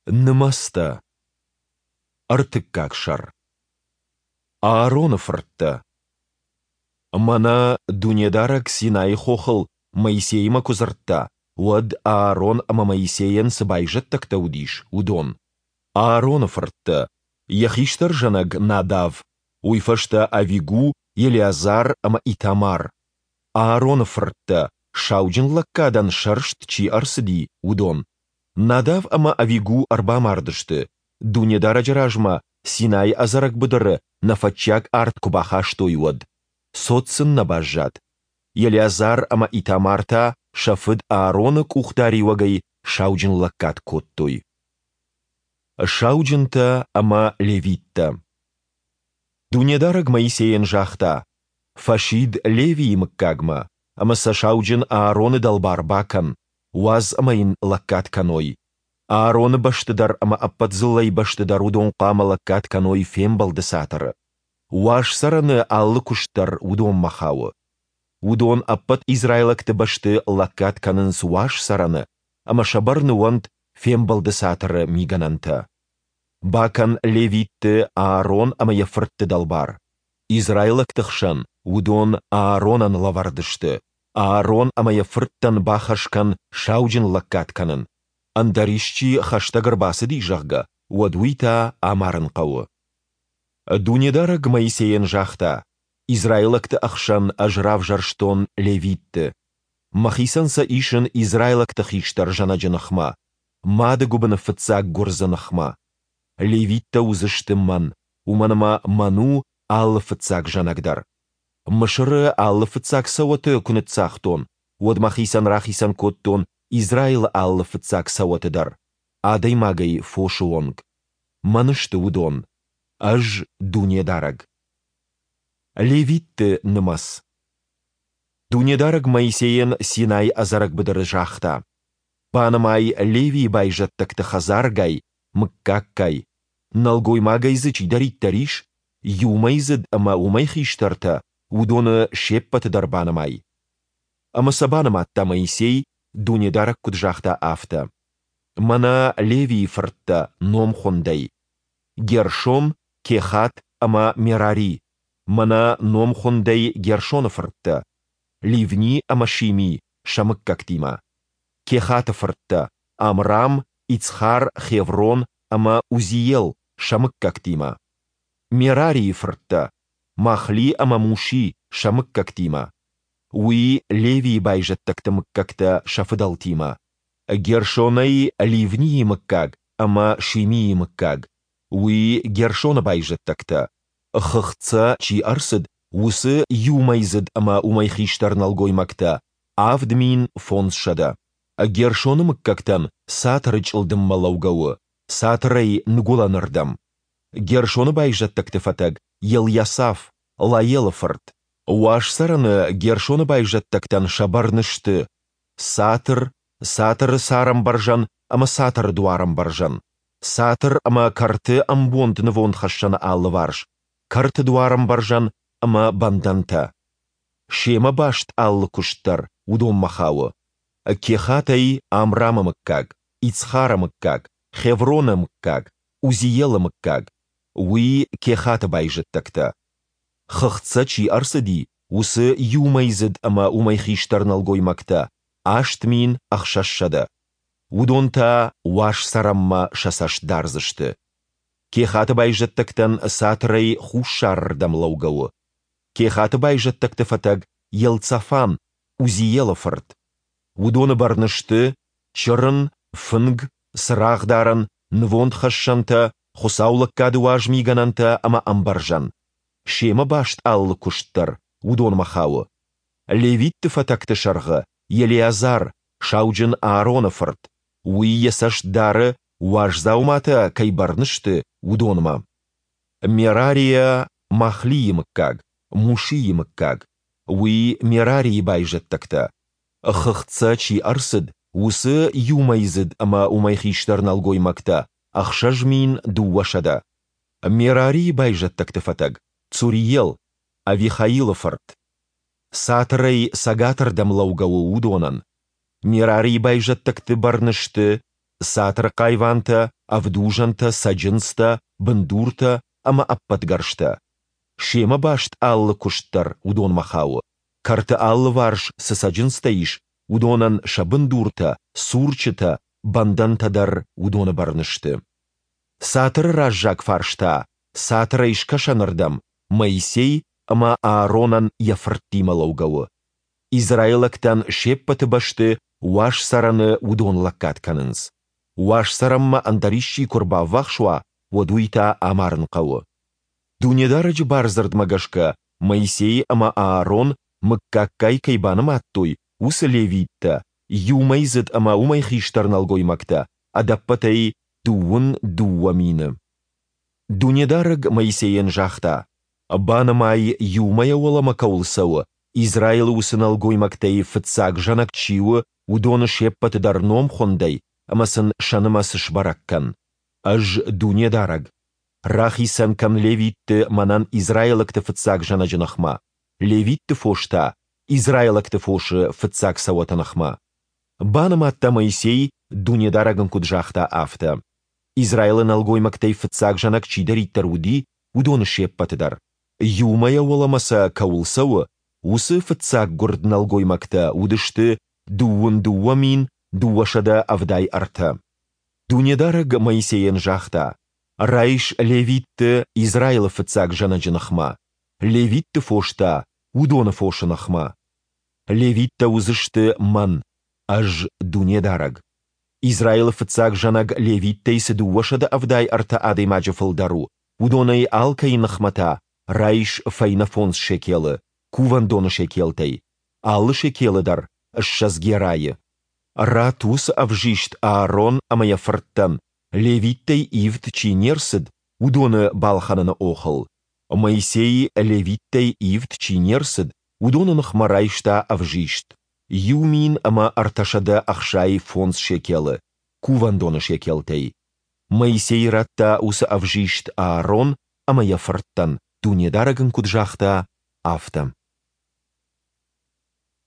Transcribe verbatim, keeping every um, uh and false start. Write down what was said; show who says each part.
Speaker 1: Нымӕцтӕ. Ӕртыккаг сӕр. Аароны фырттӕ. Мӕнӕ Дунедарӕг Синайы хохыл Моисеимӕ куы дзырдта, уӕд Аарон ӕмӕ Моисейӕн цы байзӕддӕгтӕ уыдис, уыдон. Аароны фырттӕ: йӕ хистӕр зӕнӕг Надав, уый фӕстӕ Авигу, Елеазар ӕмӕ Итамар. Аароны фырттӕ, сауджынлӕггадӕн сӕрст чи ӕрцыди, уыдон: Надав ӕмӕ Авигу ӕрбамардысты, Дунедарӕджы размӕ Синайы ӕдзӕрӕг быдыры нӕфӕтчиаг арт куы бахастой, уӕд. Цот сын нӕ баззад. Елеазар ӕмӕ Итамар та сӕ фыд Аароны къухдариуӕгӕй сауджынлӕггад кодтой. Сауджынтӕ ӕмӕ левиттӕ. Дунедарӕг Моисейӕн загъта: «Фӕсид Левийы мыггагмӕ, ӕмӕ сӕ сауджын Аароны дӕлбар бакӕн, уадз ӕмӕ йын лӕггад кӕной. Аароны бӕсты дӕр ӕмӕ ӕппӕт дзыллӕйы бӕсты дӕр уыдон хъуамӕ лӕггад кӕной Фембӕлды Цатыры. Уаз цӕрӕны алы куыст дӕр уыдонмӕ хауы. Уыдон ӕппӕт израилӕгты бӕсты лӕггад кӕнынц Уаз цӕрӕны ӕмӕ сӕ бӕрны уӕнт Фембӕлды Цатыры мигӕнӕнтӕ. Бакӕн левитты Аарон ӕмӕ йӕ фыртты дӕлбар. Израилӕгты хсӕн уыдон Ааронӕн лӕвӕрд сты. Аарон ӕмӕ йӕ фырттӕн бахӕс кӕн сауджынлӕггад кӕнын. Ӕндӕр исчи хӕстӕг ӕрбацыди, зӕгъгӕ, уӕд уый та амарын хъӕуы». Дунедарӕг Моисейӕн загъта: «Израилӕгты ӕхсӕн Ӕз равзӕрстон левитты. Мӕхицӕн сӕ исын израилӕгты хистӕр зӕнӕджы ныхмӕ, мады гуыбыны фыццаг гуырдзы ныхмӕ. Левиттӕ уыдзысты Мӕн, уымӕн ӕмӕ Мӕн у алы фыццаг зӕнӕг дӕр. Мысыры алы фыццаг цӕуӕты куы ныццагътон, уӕд мӕхицӕн рахицӕн кодтон Израилы алы фыццаг цӕуӕты дӕр, адӕймагӕй фосы онг. Мӕн сты уыдон. Ӕз Дунедарӕг». Левитты нымӕц. Дунедарӕг Моисейӕн Синайы ӕдзӕрӕг быдыры загъта: «Банымай Левийы байзӕддӕгты хӕдзаргай, мыггаггай. Нӕлгоймагӕй дзы чидӕриддӕр ис, иумӕйдзыд ӕмӕ уымӕй хистӕртӕ, уыдоны се ппӕты дӕр банымай». Ӕмӕ сӕ банымадта Моисей, Дунедарӕг куыд загъта, афтӕ. Мӕнӕ Левийы фырттӕ номхуындӕй: Гершон, Кехат ӕмӕ Мерари. Мӕнӕ номхуындӕй Гершоны фырттӕ: Ливни ӕмӕ Шими сӕ мыггӕгтимӕ. Кехаты фырттӕ: Амрам, Ицхар, Хеврон ӕмӕ Узиел сӕ мыггӕгтимӕ. Мерарийы фырттӕ: Махли ӕмӕ Муши сӕ мыггӕгтимӕ. Уый Левийы байзӕддӕгты мыггӕгтӕ сӕ фыдӕлтимӕ. Гершонӕй Ливнийы мыггаг ӕмӕ Шимийы мыггаг. Уый Гершоны байзӕддӕгтӕ. Хыгъд сӕ чи ӕрцыд, уыцы иумӕйдзыд ӕмӕ уымӕй хистӕр нӕлгоймӕгтӕ – авд мин фондзсӕдӕ. Гершоны мыггӕгтӕн цатыры чъылдыммӕ лӕугӕ у, цатырӕй ныгуылӕнырдӕм. Гершоны байзӕддӕгты фӕтӕг Елйасаф, Лаелы фырт. Уаз цӕрӕны Гершоны байзӕддӕгтӕн сӕ бӕрны сты: цатыр, цатыры царӕмбӕрзӕн ӕмӕ цатыры дуарӕмбӕрзӕн, цатыр ӕмӕ кӕрты ӕмбонд нывондхӕссӕны алыварс, кӕрты дуарӕмбӕрзӕн ӕмӕ бӕндӕнтӕ. Семӕ баст алы куыст дӕр уыдонмӕ хауы. Кехатӕй Амрамы мыггаг, Ицхары мыггаг, Хевроны мыггаг, Узиелы мыггаг. Уый Кехаты байзӕддӕгтӕ. Хыгъд сӕ чи ӕрцыди, уыцы иумӕйдзыд ӕмӕ уымӕй хистӕр нӕлгоймӕгтӕ – аст мин ӕхсӕзсӕдӕ. Уыдон та уаз цӕрӕнмӕ сӕ цӕст дардзысты. Кехаты байзӕддӕгтӕн цатырӕй хуссарырдӕм лӕугӕ у. Кехаты байзӕддӕгты фӕтӕг Елцафан, Узиелы фырт. Уыдоны бӕрны сты чырын, фынг, цырагъдарӕн, нывондхӕссӕнтӕ, хуыцаулӕггады уаз мигӕнӕнтӕ ӕмӕ ӕмбӕрзӕн. Семӕ баст алы куыст дӕр уыдонмӕ хауы. Левитты фӕтӕгты сӕргъы Елеазар, сауджын Аароны фырт. Уый йӕ цӕст дары, уаз дзауматӕ кӕй бӕрны сты, уыдонмӕ. Мерарийӕ Махлийы мыггаг, Мушийы мыггаг. Уый Мерарийы байзӕддӕгтӕ. Хыгъд сӕ чи ӕрцыд, уыцы иумӕйдзыд ӕмӕ уымӕй хистӕр нӕлгоймӕгтӕ – ӕхсӕз мин дыууӕсӕдӕ. Мерарийы байзӕддӕгты фӕтӕг Цуриел, Авихаилы фырт. Цатырӕй цӕгатырдӕм лӕугӕ у уыдонӕн. Мерарийы байзӕддӕгты бӕрны сты: цатыры хъайвантӕ, ӕвдузӕнтӕ, цӕджындзтӕ, бындуртӕ ӕмӕ ӕппӕт гӕрзтӕ. Семӕ баст алы куыст дӕр уыдонмӕ хауы. Кӕрты алыварс цы цӕджындзтӕ ис, уыдонӕн сӕ бындуртӕ, цурчытӕ, бӕндӕнтӕ дӕр уыдоны бӕрны сты. Цатыры раззаг фарс та, цатырӕй скӕсӕнырдӕм, Моисей ӕмӕ Ааронӕн йӕ фырттимӕ лӕугӕ у. Израилӕгтӕн се ппӕты бӕсты Уаз Цӕрӕны уыдон лӕггад кӕнынц. Уаз Цӕрӕнмӕ ӕндӕр исчи куы ӕрбаввахс уа, уӕд уый та амарын хъӕуы. Дунедарӕджы бардзырдмӕ гӕсгӕ Моисей ӕмӕ Аарон мыггаггай кӕй банымадтой, уыцы левиттӕ, иумӕйдзыд ӕмӕ уымӕй хистӕр нӕлгоймӕгтӕ, ӕдӕппӕтӕй дыууын дыууӕ мины. Дунедарӕг Моисейӕн загъта: «Банымай, иу мӕйӕ уӕлӕмӕ кӕуыл цӕуы, Израилы уыцы нӕлгоймӕгтӕй фыццаг зӕнӕг чи у, уыдоны се ппӕты дӕр номхуындӕй ӕмӕ сын сӕ нымӕц сбӕрӕг кӕн. Ӕз Дунедарӕг. Рахицӕн кӕн левитты мӕнӕн израилӕгты фыццаг зӕнӕджы ныхмӕ, левитты фос та израилӕгты фосы фыццаг цӕуӕты ныхмӕ». Банымадта Моисей, Дунедарӕг ын куыд загъта, афтӕ. Израилы нӕлгоймӕгтӕй фыццаг зӕнӕг чидӕриддӕр уыди, уыдоны се ппӕты дӕр. Иу мӕйӕ уӕлӕмӕ сӕ кӕуыл цӕуы, уыцы фыццаггуырд нӕлгоймӕгтӕ уыдысты дыууын дыууӕ мин дыууӕсӕдӕ ӕвдай ӕртӕ. Дунедарӕг Моисейӕн загъта: «Райс левитты Израилы фыццаг зӕнӕджы ныхмӕ, левитты фос та уыдоны фосы ныхмӕ. Левиттӕ уыдзысты Мӕн, Ӕз Дунедарӕг. Израилы фыццаг зӕнӕг левиттӕй цы дыууӕсӕдӕ ӕвдай ӕртӕ адӕймаджы фылдӕр у, уыдонӕй алкӕй ныхмӕ та райс фӕйнӕ фондз шекелы, кувӕндоны шекелтӕй, алы шекелы дӕр ссӕдз герайы. Ратт уыцы ӕвзист Аарон ӕмӕ йӕ фырттӕн, левиттӕй ивд чи не рцыд, уыдоны балхӕныны охыл. Моисей, левиттӕй ивд чи не рцыд, уыдоны ныхмӕ райста ӕвзист, иу мин ӕмӕ ӕртӕсӕдӕ ӕхсай фондз шекелы, кувӕндоны шекелтӕй. Моисей радта уыцы ӕвзист Аарон ӕмӕ йӕ фырттӕн, Дунедарӕг ын куыд загъта, афтӕ.